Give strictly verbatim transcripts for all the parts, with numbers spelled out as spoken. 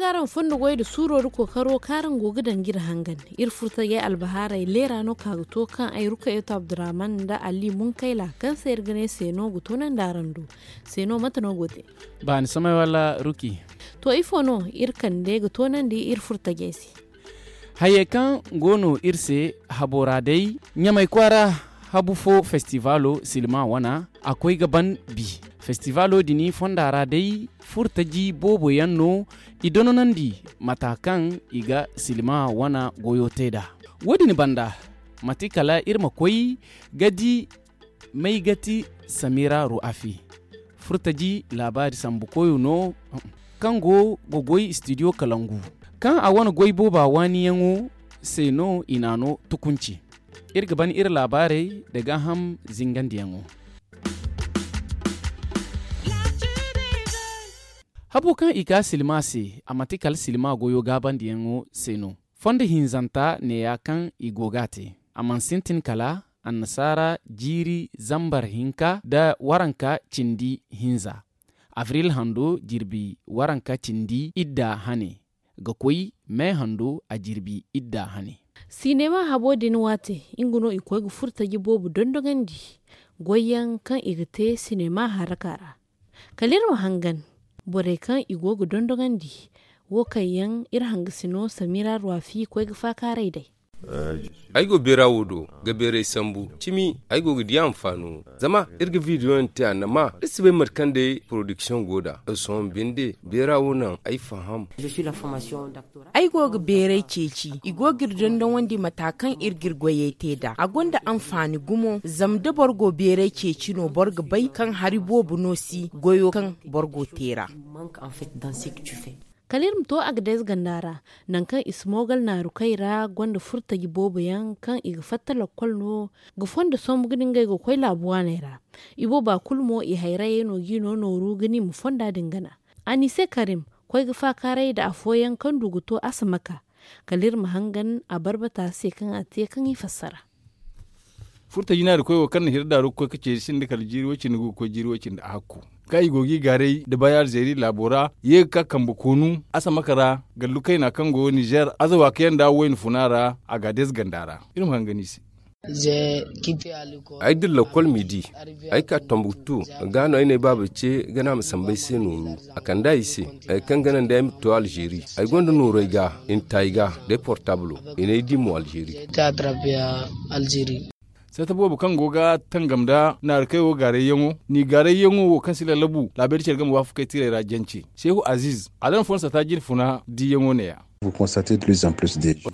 Kaaraŋ fondo goy nda suuro nda kookaro kaaraŋ go ga daŋ ga iri hangan. Iri furtajey albahaarey leera no ka ga to kaŋ ay rukayatu abdurrahman nda ali munkayla kaŋ se iri ga ne se no ga toonandi araŋ do. Se no mate no go te? Baani samay wala ruki? To ifo no iri kande ga toonandi iri furtajey se? Hayey kaŋ go no iri se habo ra day, ɲamay kwaara habu fo festivalo silma wana a koy ga ban bi. Festivalo din fonda ra day furtaji boobo yaŋ no i dononandi mata kaŋ i ga silma wana goyo te nd'a. Wo- din banda mate kala iri ma koy ga di maygati samira ru'afi furtaji laabaari sambu koyo no kaŋ go ga goy studio kalangu kaŋ a wane goy booba waaniyaŋo se no i naano tukunci. Iri ga ban iri laabaarey nda gaaham zingandiyaŋo. Habo kaŋ i ka silma se a manti kala silma goyo gaabandiyaŋo se no. Fondo hinzanta neeya kaŋ i go ga a te. A mana sintin kala annasaara jiiri zambar hinka nda waranka cindi hinza, abril hando jirbi waranka cindi idda hane ga koy me hando a jirbi idda hane. Sinema habo din waate nga no i koy ga furtaji boobo dondoŋandi goyyaŋ kaŋ i ga te sinema haraka ra. Kala iri ma hangan borey kaŋ i go ga dondoŋandi wo kaŋ yaŋ iri hangasino samira ruwafi koy ga faakaaray day. Ay go beera wo do ga beeray sambu cimi ay go ga di anfaano zama iri ga bidiyoyaŋ te a nama iri si bay mate kaŋ day porodiksiyoŋ go nd'a. Sohõ binde beera wo naŋ ay faham. Ay go ga beeray ceeci i go ga iri dondonandi mata kaŋ iri ga iri goyey te nd'a a gonda anfaani gumo zama da boro go beeray ceeci no boro ga bay kaŋ hari boobo no si goyo kaŋ boro go te ra. Kala iri ma to agades ganda ra nangu kaŋ i si moogal naarukey ra gonda furtaji boobo yaŋ kaŋ i ga fatta lakkol no ga fondo sombu ga di ngey ga koy laabu waaney ra. Ibooba kulu mo i hayrayey no g'i no nooru ga ni ma fonda din gana. Anise karim koy ga faakaaray nda afooyaŋ kaŋ du ga to asamaka kala iri ma hangan a barbata se kaŋ a te kaŋ i fassara. Furtaji naari koy wo kaŋ na hira daaru ga koy ga ceeci sinda kala jiiri way cindi gu ga koy jiiri way cindi ahakku kaŋ i go g'i gaaray nda bay alzeeri laabo ra ye ga ka kambe koonu asamaka ra. Gallu kayna kaŋ go nizer azawa kayaŋ nda wayna funa ra. Agades ganda ra iri ma hangan i se. Ay dira lakkol midi ay ka tambuktu ga no ay ne baaba ce gana ma sambu ay se nooru. A kande ay se ay kaŋ gana nda ay ma to alzeeri. Ay gonda nooru ay ga i na ta ay ga day portablo i n'ay di mo alzeeri. Sata boobo kaŋ go ga tangam nda naarukey wo gaarayyaŋo ni gaarayyaŋo wo kaŋ si lallabu laabeeri care game waafakey tiray ra jance seehu aziz a daŋ fo na sata jine funa diiyaŋo neeya.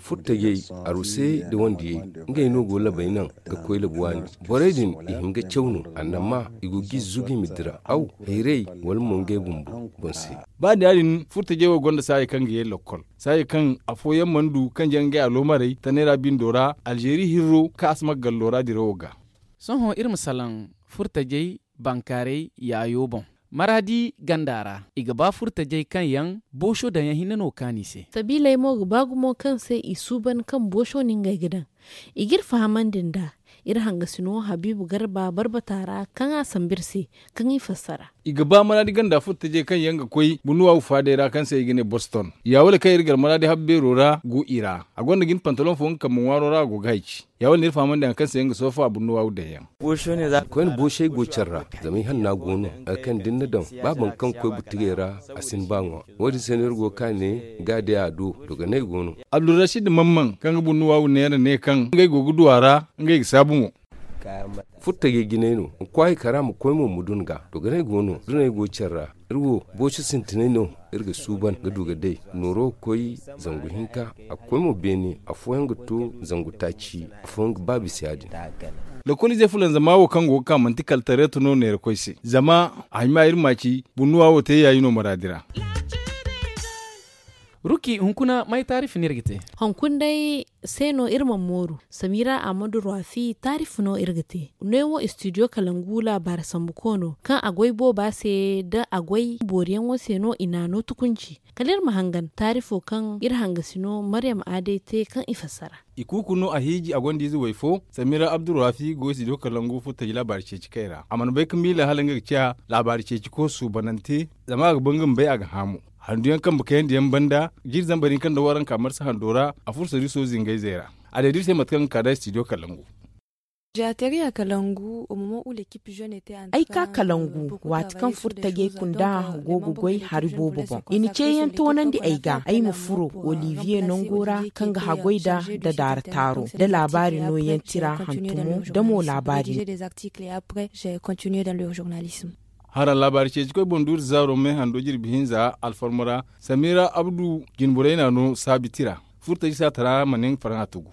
Furtajey arusey nda wandiyey ngey no go labay naŋ ga koy labu waani. Borey din i hin ga caw no annama i go g'i zugu i ma dira aw hayrey wala mo ngey bumbo boŋ se. Ba da ya- din furtajey wo gonda saayey kaŋ ga ye lakkol saayey kaŋ afooyaŋ mana du kaŋ jaŋ ngey aloomarey tanay ra bindo ra alzeeri hirro kaŋ a si ma gallo ra dirawo ga. Sohõ iri ma salaŋ furtajey bankaaray yaayo boŋ maraadi ganda ra i ga ba furtajey kaŋ yaŋ booso daŋyaŋ hinne no kaani se. Sabiiley mo ga ba gumo kaŋ se i suuban kaŋ booso no ngey ga daŋ. I g'iri fahamandi nd'a iri hangasino habiibu garba barbata ra kaŋ a sambu iri se kaŋ i fassara. I ga ba maraadi ganda furtajey kaŋ yaŋ ga koy bunnuwaawu faadey ra kaŋ se i ga ne boston. Yaawale kaŋ iri gar maraadi habbeero ra go i ra a gonda jin pantaloŋ fo nga kambe ŋwaaro ra a go ga hayci. Ya wane iri fahamandi hari kaŋ se nga soofa bunnuwaawu daŋ yaŋ. Koyne boosey go care ra zama i hanna go no hari kaŋ da ni na daŋ ba boro kaŋ ga koy butugey ra a si ni ba ŋwa. Wo- din se no iri go ga ka ne ga day a do dogonay go no. Abdulrasid mamman kaŋ ga bunnuwaawu neera ne kaŋ ngey go ga du a ra ngey ga saabu mo. Furtajey jinay no ma kwaay kara ma koy mo ma dun ga dogonay go no dunay go care ra. Iri wo booso sintinay no iri ga suuban ga du ga day nooro ga koy zangu hinka. A ga koy mo beene afooyaŋ ga to zangu taaci afooyaŋ ga ba bisa ya- din. Lokoliize fulanzama wo kaŋ go ga ka manti kala tareeto no neerakoy se zama a hima iri ma ci bunnuwa wo te yaayi no maraadi ra. Ruki hunkuna may taarifi no iri ga te? Hunkuna day se no iri mana mooru samira ahmadu ruwafi taarifi no iri ga te. Neewo studio kalangu laabaari sambu koono kaŋ a goy booba se da a goy booriyaŋo se no i naano tukunci. Kala iri ma hangan taarifo kaŋ iri hangasi no maryam aaday te kaŋ i fassara. I kuuku no a hiiji a gonda ize way fo samira abdurrafi go studio kalangu furtaji laabaari ceeci kay ra a mana bay ga miila hala nga ga ciya laabaari ceeci ko suubanante. Zama a ga ba nga ma bay a ga haamu. Handu yaŋ kambe kayandi yaŋ banda, jiiri zambar hinka nda waranka marsa hando ra, a furo sariiso zingayzey ra. A deediri se mate kaŋ ga ka da studio kalangu. Ay ka kalangu waati kaŋ furtajey kunda go ga goy hari boobo boŋ. I na ceeyaŋ toonandi ay ga ay ma furo olivier nango ra, kaŋ ga haggoy da da daara taaro da laabaari nooyaŋ tira hantumo da mo laabaari. Haraŋ laabaari ceeci koy boŋ duuri zaaro me hando jirbi hinza alfarma ra, samira abdu jinborey na no saabi tira. Furtaji saatara ma ne nga faraŋ a tugu.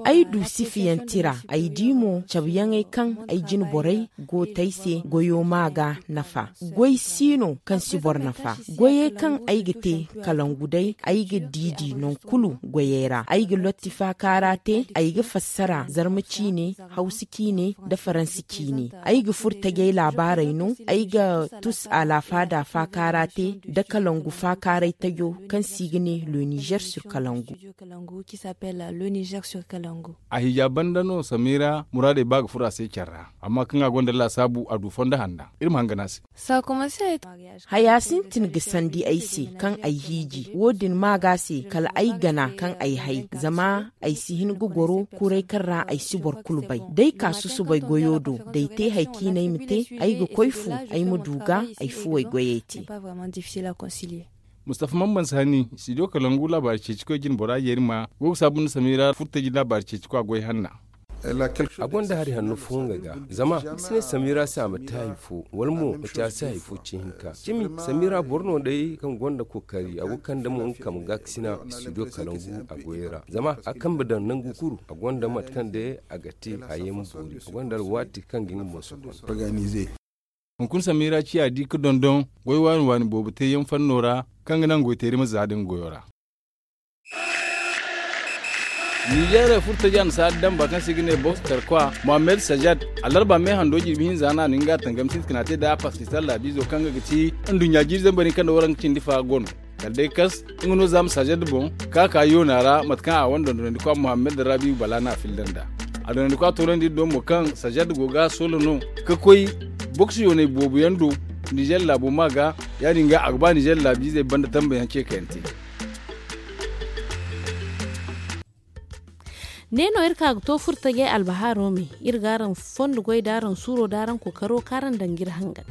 Ay du sifiyaŋ tira ay di mo cabeyaŋey kaŋ ay jine borey go te ay se goyo ma ga nafa. Goy si no kaŋ si boro nafa. Goyey kaŋ ay ga te kalangu day ay ga diidi nangu kulu goyey ra ay ga lotti faakaara te ay ga fassara zarma ciine, hawsa ciine, nda faransi ciine. Ay ga furo tajey laabaarey no. Ay ga tusu alaafaada faakaara te nda kalangu faakaaray tajo kaŋ se i ga ne le nizer sur kalangu. A hija banda no samira muraadey ba ga furo a se care ra, amma kaŋ a gonda laasaabu a du fondo hanna. Iri ma hangan a se. Haya sintin ga sandi ay se kaŋ ay hiiji wo- din ma ga se kala ay gana kaŋ ay hay zama ay si hin ga goro kuray kaŋ ra ay si boro kulu bay. D'ay ka susubay goyo do d'ay te hari kaŋ i ne ay ma te, ay ga koy fu ay ma du ga ay fuwey goyey te. Mustafa mamman sani studio kalangu laabaari ceeci koy jine bora yeeri ma go ga saabu nda samira furtaji laabaari ceeci koy a goy hanna. A gonda hari hanno fo nga ga zama ni si ne samira se a ma te hari fo wala mo ma ci a se hari fo ci hinka cimi. Samira boro no day kaŋ gonda kookari a go ga kande mo nga kambe ga ga sina studio kalangu a goyey ra zama a kambe daŋ nangu kulu a gonda mate kaŋ day a ga te a ye ma boori a gonda alwaati kaŋ ga nga boŋ sohõ. Hunkuna samira ciya di ga dondon goy waani waani boobo te yaŋ fanno ra kaŋ ga naŋ goyteeri ma za da nga goyo ra. Nizeerey furtaji annasaara damba kaŋ se i ga ne boks tarkwa mohammed sajad alarba me hando jirbi hinza no a na nga tangam sintina te nda a paskistan laabiizo kaŋ ga ga ti nduɲɲa jiiri zambar hinka nda waranka cindi fa gono. Kala day kas nga no za ma sajad boŋ ka ka yoona ra mate kaŋ a wane dondonandikwa mohammed rabiyu bala no a filla nd'a. A dondonandikwa toonandi iri do mo kaŋ sajad go ga a soola no ka koy boks yoonay boobo yaŋ do nizeer laabo ma ga. Ya- din ga a ga ba nizeer laabiizey banda tambayaŋ ce kaŋ yaŋ te. Ne no iri ka ga to furtajey albahaaro me. Iri ga araŋ fondo goy da araŋ suuro da araŋ kookaro kaŋ araŋ daŋ ga iri hangan.